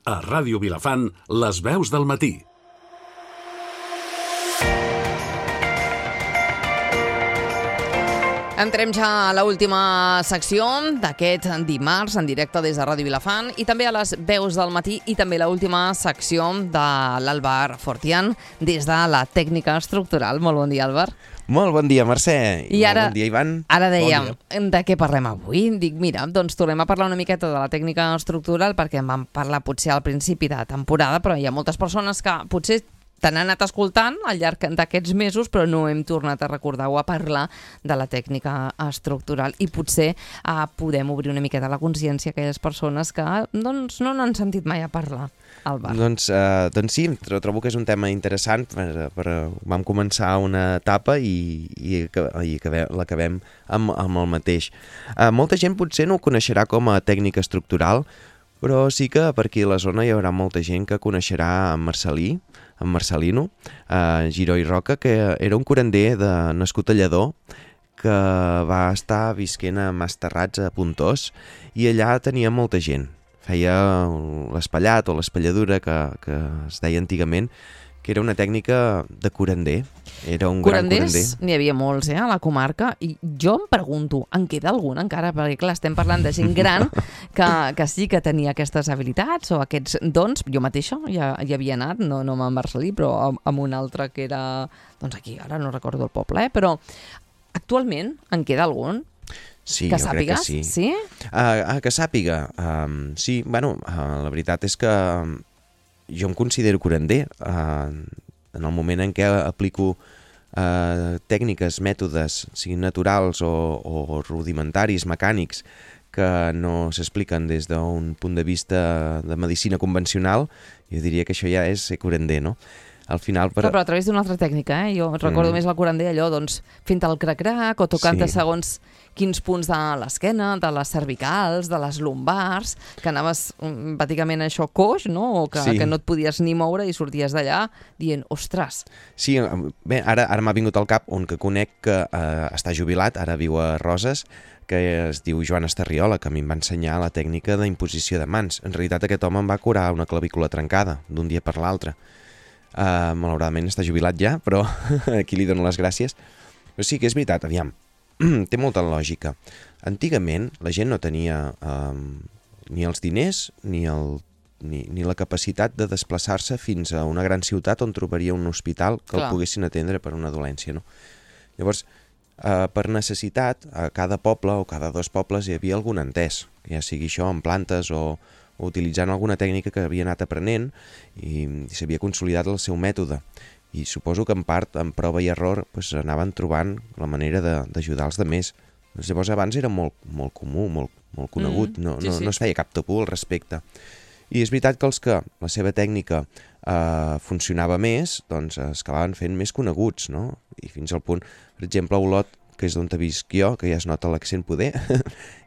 A Ràdio Vilafant, les veus del matí. Entrem ja a l'última secció d'aquest dimarts en directe des de Ràdio Vilafant i també a les veus del matí i també l'última secció de l'Àlvar Fortián des de la tècnica estructural. Molt bon dia, Àlvar. Molt bon dia, Mercè. I ara, bon dia, Ivan. Ara dèiem, de què parlem avui? Dic, mira, doncs tornem a parlar una miqueta de la tècnica estructural perquè en vam parlar potser al principi de temporada, però hi ha moltes persones que potser t'han anat escoltant al llarg d'aquests mesos, però no hem tornat a recordar o a parlar de la tècnica estructural i potser podem obrir una miqueta la consciència a aquelles persones que doncs, no n'han sentit mai a parlar, Àlvar. Doncs sí, trobo que és un tema interessant. Vam començar una etapa i l'acabem amb el mateix. Molta gent potser no ho coneixerà com a tècnica estructural, però sí que per aquí a la zona hi haurà molta gent que coneixerà en Marcelino, Giró i Roca, que era un curander nascut a Lledó, que va estar visquent a Masterrats a Pontós, i allà tenia molta gent. Feia l'espellat o l'espelladura, que es deia antigament, que era una tècnica de curander. Era un gran curander. Curanders n'hi havia molts, a la comarca, i jo em pregunto, en queda algun encara? Perquè clar, estem parlant de gent gran que sí que tenia aquestes habilitats o aquests dons. Jo mateixa ja hi havia anat, no amb en Marcelí, però amb un altre que era, doncs aquí, ara no recordo el poble, però actualment en queda algun? Sí, que jo sàpigues? crec que sí. Sí? Que sàpiga, sí. Bueno, la veritat és que jo em considero curander. En el moment en què aplico tècniques, mètodes, siguin naturals o rudimentaris, mecànics, que no s'expliquen des d'un punt de vista de medicina convencional, jo diria que això ja és ser curander, no? Al final, però a través d'una altra tècnica, Jo recordo més el curander allò, doncs, fent el crac-crac o tocant segons quins punts de l'esquena, de les cervicals, de les lumbars, que anaves pràcticament això coix, no? O que no et podies ni moure i sorties d'allà dient, ostres. Sí, bé, ara m'ha vingut al cap un que conec que està jubilat, ara viu a Roses, que es diu Joan Estarriola, que a mi em va ensenyar la tècnica d'imposició de mans. En realitat aquest home em va curar una clavícula trencada d'un dia per l'altre. Malauradament està jubilat ja, però aquí li dono les gràcies. Però sí que és veritat, aviam, té molta lògica. Antigament la gent no tenia ni els diners ni la capacitat de desplaçar-se fins a una gran ciutat on trobaria un hospital que el poguessin atendre per una dolència, no? Llavors, per necessitat, a cada poble o cada dos pobles hi havia algun entès, ja sigui això en plantes o utilitzant alguna tècnica que havia anat aprenent i s'havia consolidat el seu mètode. I suposo que en part, amb prova i error, anaven trobant la manera d'ajudar els demés. Llavors abans era molt comú, molt conegut, no es feia cap tabú al respecte. I és veritat que els que la seva tècnica funcionava més, doncs es acabaven fent més coneguts, no? I fins al punt, per exemple, a Olot, que és d'on te visc jo, que ja es nota l'accent poder,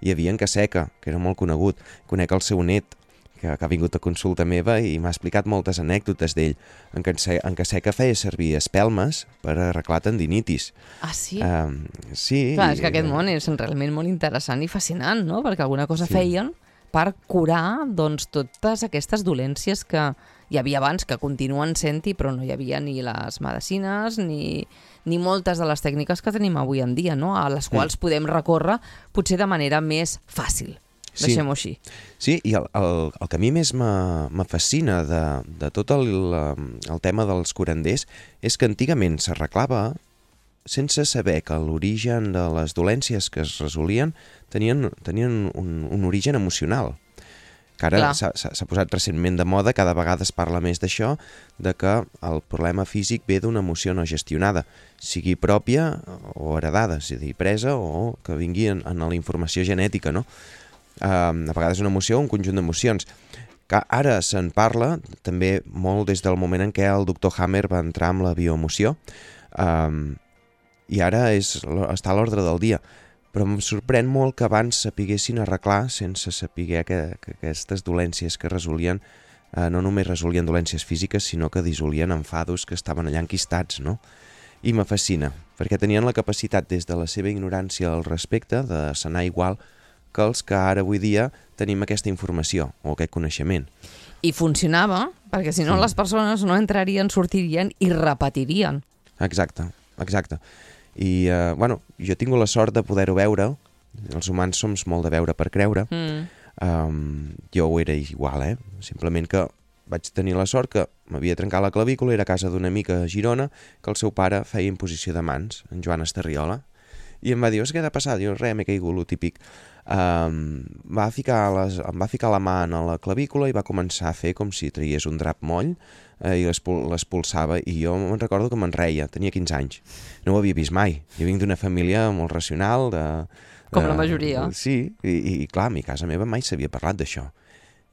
hi havia en Caseca, que era molt conegut. Conec el seu net, que ha vingut a consulta meva i m'ha explicat moltes anècdotes d'ell. En Caseca feia servir espelmes per arreglar tendinitis. Ah, sí? Sí. Clar, és que aquest món és realment molt interessant i fascinant, no? Perquè alguna cosa feien per curar doncs, totes aquestes dolències que hi havia abans, que continuen sent-hi, però no hi havia ni les medicines ni moltes de les tècniques que tenim avui en dia, no? A les quals podem recórrer potser de manera més fàcil. Deixem-ho així. Sí, i el que a mi més me fascina de tot el tema dels curanders és que antigament s'arreglava sense saber que l'origen de les dolències que es resolien tenien un origen emocional. Que ara s'ha posat recentment de moda, cada vegada es parla més d'això, de que el problema físic ve d'una emoció no gestionada, sigui pròpia o heredada, és a dir, presa o que vingui en la informació genètica, no? A vegades una emoció o un conjunt d'emocions. Que ara se'n parla també molt des del moment en què el doctor Hammer va entrar amb la bioemoció, i ara està a l'ordre del dia. Però em sorprèn molt que abans sapiguessin arreglar sense saber que aquestes dolències que resolien no només resolien dolències físiques, sinó que dissolien enfados que estaven allà enquistats, no? I me fascina, perquè tenien la capacitat des de la seva ignorància al respecte de sanar igual que els que ara avui dia tenim aquesta informació o aquest coneixement. I funcionava, perquè si no les persones no entrarien, sortirien i repetirien. Exacte. I, jo he tingut la sort de poder-ho veure. Els humans som molt de veure per creure. Jo ho era igual, Simplement que vaig tenir la sort que m'havia trencat la clavícula, era a casa d'una amica a Girona, que el seu pare feia imposició de mans, en Joan Estarriola, i em va dir, què t'ha passat? Diu, res, m'he caigut, lo típic. Em va ficar la mà en la clavícula i va començar a fer com si traies un drap moll i l'expulsava, i jo me'n recordo que me'n reia, tenia 15 anys. No ho havia vist mai. Jo vinc d'una família molt racional. Com la majoria. Sí, i clar, a mi casa meva mai s'havia parlat d'això.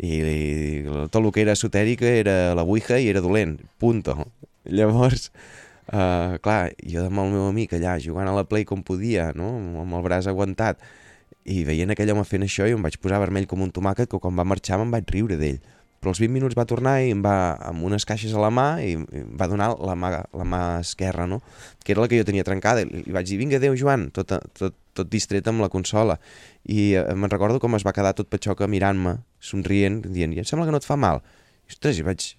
I tot el que era esotèric era la ouija i era dolent, punto. Llavors, clar, jo amb el meu amic allà jugant a la Play com podia, no? Amb el braç aguantat, i veient aquell home fent això, i em vaig posar vermell com un tomàquet, que quan va marxar me'n vaig riure d'ell. Però als 20 minuts va tornar i em va, amb unes caixes a la mà, i em va donar la mà esquerra, no? Que era la que jo tenia trencada. I vaig dir, vinga, adéu, Joan, tot distret amb la consola. I me'n recordo com es va quedar tot patxoca mirant-me, somrient, dient, em sembla que no et fa mal. I, ostres, vaig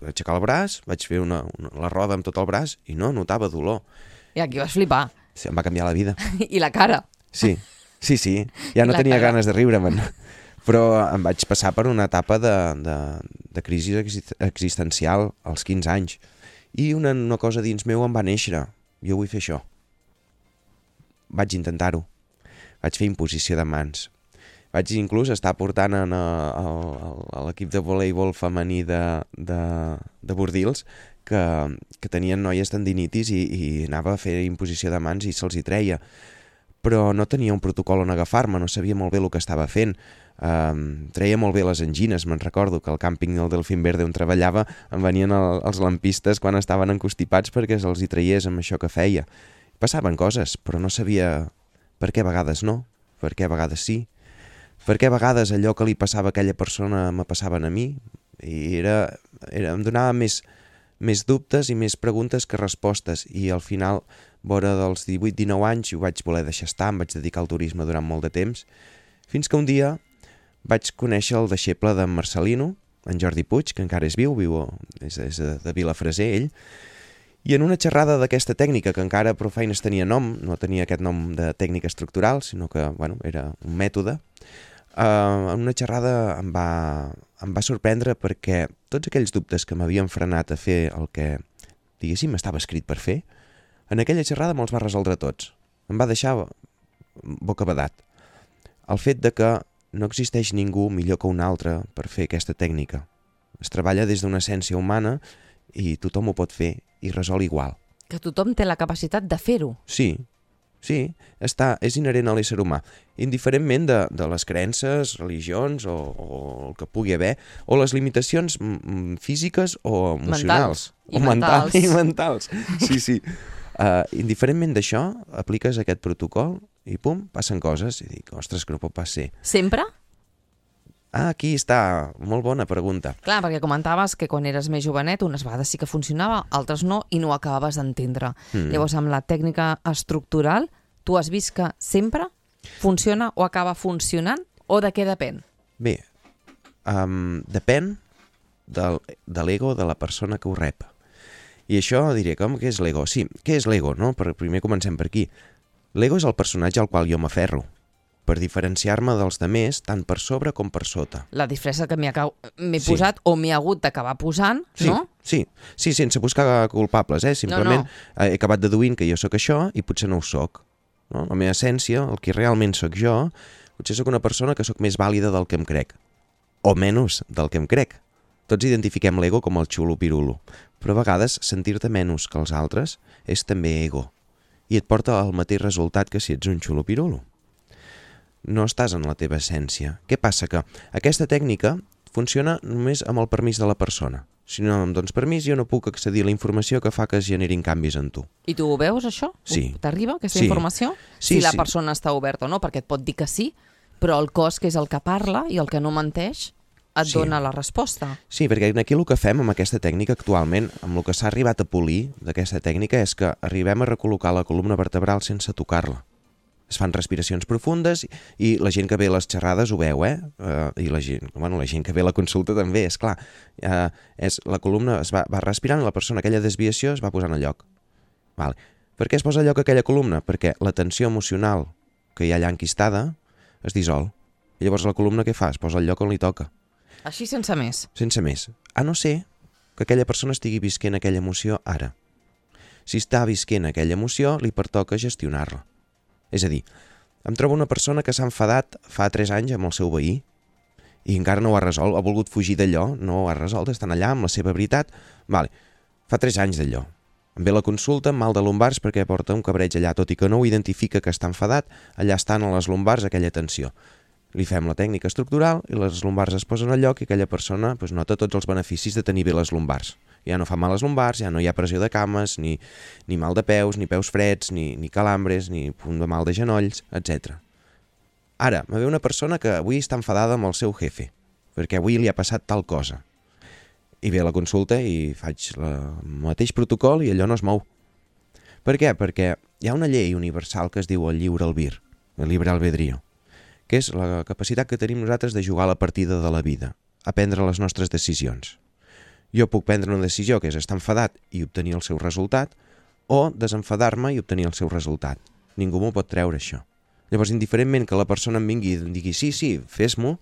aixecar el braç, vaig fer la roda amb tot el braç i no notava dolor. I aquí vas flipar. Sí, em va canviar la vida. I la cara. Sí. Ja no tenia ganes de riure-me'n. Però em vaig passar per una etapa de crisi existencial als 15 anys. I una cosa dins meu em va néixer. Jo vull fer això. Vaig intentar-ho. Vaig fer imposició de mans. Vaig inclús estar portant a l'equip de voleibol femení de Bordils que tenien noies tendinitis i anava a fer imposició de mans i se'ls hi treia. Però no tenia un protocol on agafar-me, no sabia molt bé el que estava fent. Treia molt bé les angines, me'n recordo que al càmping del Delfín Verde on treballava em venien els lampistes quan estaven encostipats perquè se'ls hi traiés amb això que feia. Passaven coses, però no sabia per què a vegades no, per què a vegades sí, per què a vegades allò que li passava a aquella persona me passaven a mi, i em donava més dubtes i més preguntes que respostes, i al final, vora dels 18-19 anys, ho vaig voler deixar estar, em vaig dedicar al turisme durant molt de temps, fins que un dia vaig conèixer el deixeble d'en Marcelino, en Jordi Puig, que encara és viu és de Vilafreser, ell, i en una xerrada d'aquesta tècnica, que encara prou feines tenia nom, no tenia aquest nom de tècnica estructural, sinó que era un mètode, en una xerrada em va sorprendre perquè tots aquells dubtes que m'havien frenat a fer el que, diguéssim, estava escrit per fer, en aquella xerrada me'ls va resoldre tots. Em va deixar bocabadat. El fet de que no existeix ningú millor que un altre per fer aquesta tècnica. Es treballa des d'una essència humana i tothom ho pot fer i resol igual. Que tothom té la capacitat de fer-ho. Sí, és inherent a l'ésser humà, indiferentment de les creences, religions o el que pugui haver, o les limitacions físiques o emocionals. Mentals. Sí. Indiferentment d'això, apliques aquest protocol i pum, passen coses. I dic, ostres, que no pot pas ser. Sempre? Aquí està, molt bona pregunta. Clar, perquè comentaves que quan eres més jovenet unes vegades sí que funcionava, altres no, i no ho acabaves d'entendre. Llavors, amb la tècnica estructural, tu has vist que sempre funciona o acaba funcionant, o de què depèn? Bé, depèn de l'ego de la persona que ho rep. I això diré, com que és l'ego? Sí, què és l'ego, no? Primer comencem per aquí. L'ego és el personatge al qual jo m'aferro, per diferenciar-me dels demés tant per sobre com per sota. La disfressa que m'he posat o m'he hagut d'acabar posant, no? Sí, sense buscar culpables, simplement he acabat deduint que jo sóc això i potser no ho sóc. No? La meva essència, el que realment sóc jo, potser sóc una persona que sóc més vàlida del que em crec, o menys del que em crec. Tots identifiquem l'ego com el xulo-pirulo, però a vegades sentir-te menys que els altres és també ego, i et porta al mateix resultat que si ets un xulo-pirulo. No estàs en la teva essència. Què passa? Que aquesta tècnica funciona només amb el permís de la persona. Si no em dones permís, jo no puc accedir a la informació que fa que es generin canvis en tu. I tu ho veus, això? Sí. T'arriba aquesta informació? Sí, si la persona està oberta o no, perquè et pot dir que sí, però el cos, que és el que parla i el que no menteix, et dona la resposta. Sí, perquè aquí el que fem amb aquesta tècnica actualment, amb el que s'ha arribat a polir d'aquesta tècnica, és que arribem a recol·locar la columna vertebral sense tocar-la. Es fan respiracions profundes i la gent que ve a les xerrades ho veu, I la gent que ve a la consulta també, és clar. La columna es va respirant i la persona, aquella desviació es va posant a lloc. Vale. Per què es posa a lloc aquella columna? Perquè la tensió emocional que hi ha allà enquistada es dissol. I llavors la columna què fa? Es posa al lloc on li toca. Així sense més. Sense més. A no ser que aquella persona estigui visquent aquella emoció ara. Si està visquent aquella emoció, li pertoca gestionar-la. És a dir, em trobo una persona que s'ha enfadat fa 3 anys amb el seu veí i encara no ho ha resolt, ha volgut fugir d'allò, no ho ha resolt, estan allà amb la seva veritat. Vale, fa 3 anys d'allò. Em ve la consulta amb mal de lumbars perquè porta un cabreig allà, tot i que no ho identifica que està enfadat, allà estan a les lumbars aquella tensió. Li fem la tècnica estructural i les lumbars es posen al lloc i aquella persona nota tots els beneficis de tenir bé les lumbars. Ja no fa mal les lumbars, ja no hi ha pressió de cames, ni mal de peus, ni peus freds, ni calambres, ni punt de mal de genolls, etc. Ara, me ve una persona que avui està enfadada amb el seu jefe, perquè avui li ha passat tal cosa. I ve a la consulta i faig el mateix protocol i allò no es mou. Per què? Perquè hi ha una llei universal que es diu el lliure albir, el libre albedrío, que és la capacitat que tenim nosaltres de jugar a la partida de la vida, a prendre les nostres decisions. Jo puc prendre una decisió que és estar enfadat i obtenir el seu resultat, o desenfadar-me i obtenir el seu resultat. Ningú m'ho pot treure, això. Llavors, indiferentment que la persona em vingui i em digui sí, fes-m'ho,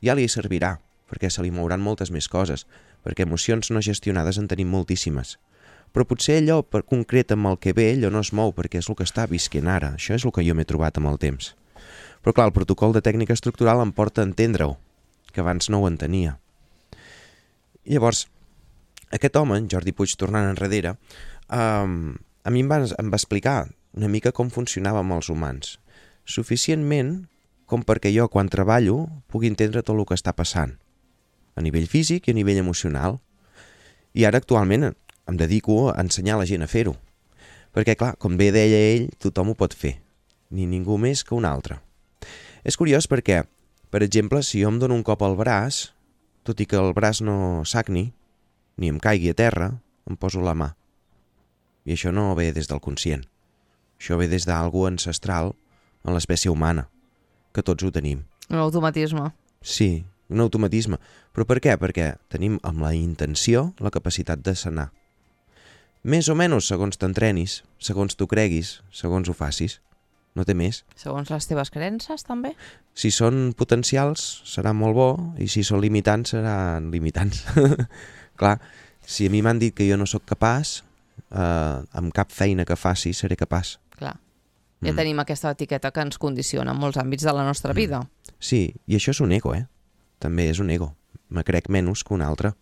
ja li servirà, perquè se li mouran moltes més coses, perquè emocions no gestionades en tenim moltíssimes. Però potser allò per concret amb el que ve, allò no es mou, perquè és el que està visquent ara. Això és el que jo m'he trobat amb el temps. Però clar, el protocol de tècnica estructural em porta a entendre-ho, que abans no ho entenia. Llavors, aquest home, en Jordi Puig, tornant enrere, a mi em va explicar una mica com funcionava amb els humans. Suficientment com perquè jo, quan treballo, pugui entendre tot el que està passant, a nivell físic i a nivell emocional. I ara, actualment, em dedico a ensenyar a la gent a fer-ho. Perquè, clar, com bé deia ell, tothom ho pot fer, ni ningú més que un altre. És curiós perquè, per exemple, si jo em dono un cop al braç, tot i que el braç no sagni, ni em caigui a terra, em poso la mà. I això no ve des del conscient. Això ve des d'algú ancestral en l'espècie humana, que tots ho tenim. Un automatisme. Sí, un automatisme. Però per què? Perquè tenim amb la intenció la capacitat de sanar. Més o menys segons t'entrenis, segons tu creguis, segons ho facis. No té més. Segons les teves creences, també? Si són potencials, serà molt bo, i si són limitants, seran limitants. Clar, si a mi m'han dit que jo no sóc capaç, amb cap feina que faci seré capaç. Clar. Ja tenim aquesta etiqueta que ens condiciona en molts àmbits de la nostra vida. Sí, i això és un ego, També és un ego. Me crec menys que un altre.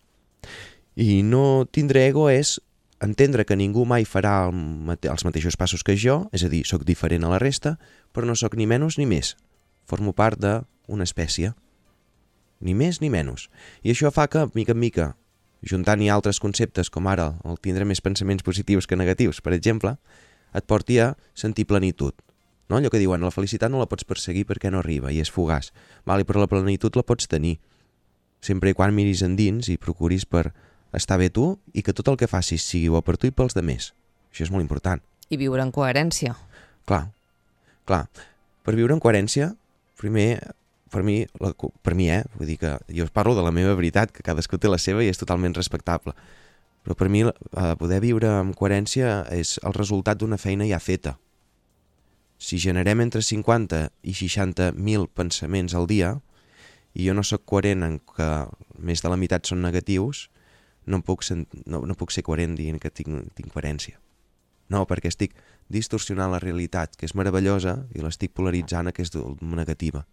I no tindre ego és entendre que ningú mai farà els mateixos passos que jo, és a dir, sóc diferent a la resta, però no sóc ni menys ni més. Formo part d'una espècie. Ni més ni menys. I això fa que, mica en mica, juntant-hi altres conceptes, com ara el tindre més pensaments positius que negatius, per exemple, et porti a sentir plenitud. No? Allò que diuen, la felicitat no la pots perseguir perquè no arriba i és fugaç. Vale, però la plenitud la pots tenir, sempre i quan miris endins i procuris per estar bé tu i que tot el que facis sigui bo per tu i pels demés. Això és molt important. I viure en coherència. Clar. Per viure en coherència, primer, per mi, vull dir que jo parlo de la meva veritat, que cadascú té la seva i és totalment respectable. Però per mi poder viure amb coherència és el resultat d'una feina ja feta. Si generem entre 50 i 60.000 pensaments al dia i jo no sóc coherent en que més de la meitat són negatius, no puc ser coherent dient que tinc coherència. No, perquè estic distorsionant la realitat, que és meravellosa, i l'estic polaritzant, que és negativa.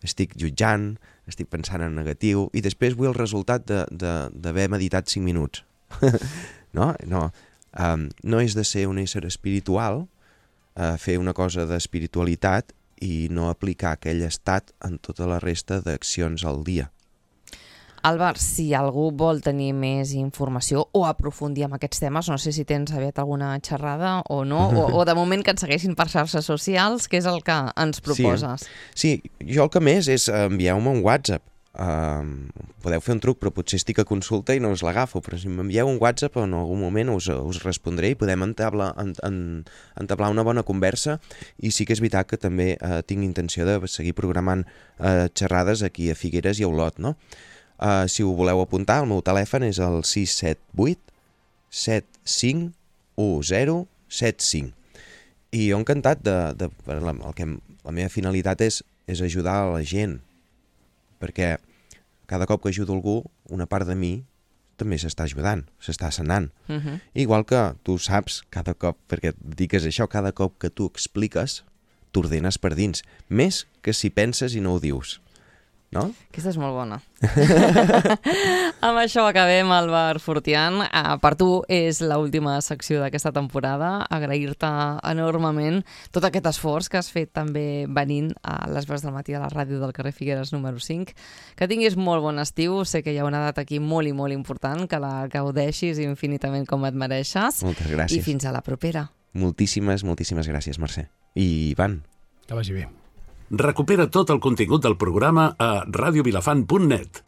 Estic jutjant, estic pensant en negatiu, i després vull el resultat d'haver meditat 5 minuts. No és de ser un ésser espiritual fer una cosa d'espiritualitat i no aplicar aquell estat en tota la resta d'accions al dia. Àlvar, si algú vol tenir més informació o aprofundir en aquests temes, no sé si tens aviat alguna xerrada o no, o de moment que et segueixin per xarxes socials, què és el que ens proposes? Sí, jo el que més és envieu-me un WhatsApp podeu fer un truc, però potser estic a consulta i no us l'agafo, però si m'envieu un WhatsApp en algun moment us respondré i podem entablar una bona conversa. I sí que és veritat que també tinc intenció de seguir programant xerrades aquí a Figueres i a Olot, no? Si ho voleu apuntar, el meu telèfon és el 678 751075. I jo encantat la meva finalitat és ajudar a la gent, perquè cada cop que ajudo algú, una part de mi també s'està ajudant, s'està sanant. Igual que tu saps, cada cop, perquè et dediques a això, cada cop que tu expliques, t'ordenes per dins, més que si penses i no ho dius. No? Aquesta és molt bona. Amb això acabem, Albert Fortián. Per tu és l'última secció d'aquesta temporada. Agrair-te enormement tot aquest esforç que has fet també venint a les veus del matí a la ràdio del carrer Figueres número 5. Que tinguis molt bon estiu. Sé que hi ha una data aquí molt i molt important, que la gaudeixis infinitament com et mereixes. Moltes gràcies. I fins a la propera. Moltíssimes gràcies, Mercè. I Ivan. Que vagi bé. Recupera tot el contingut del programa a radiovilafant.net.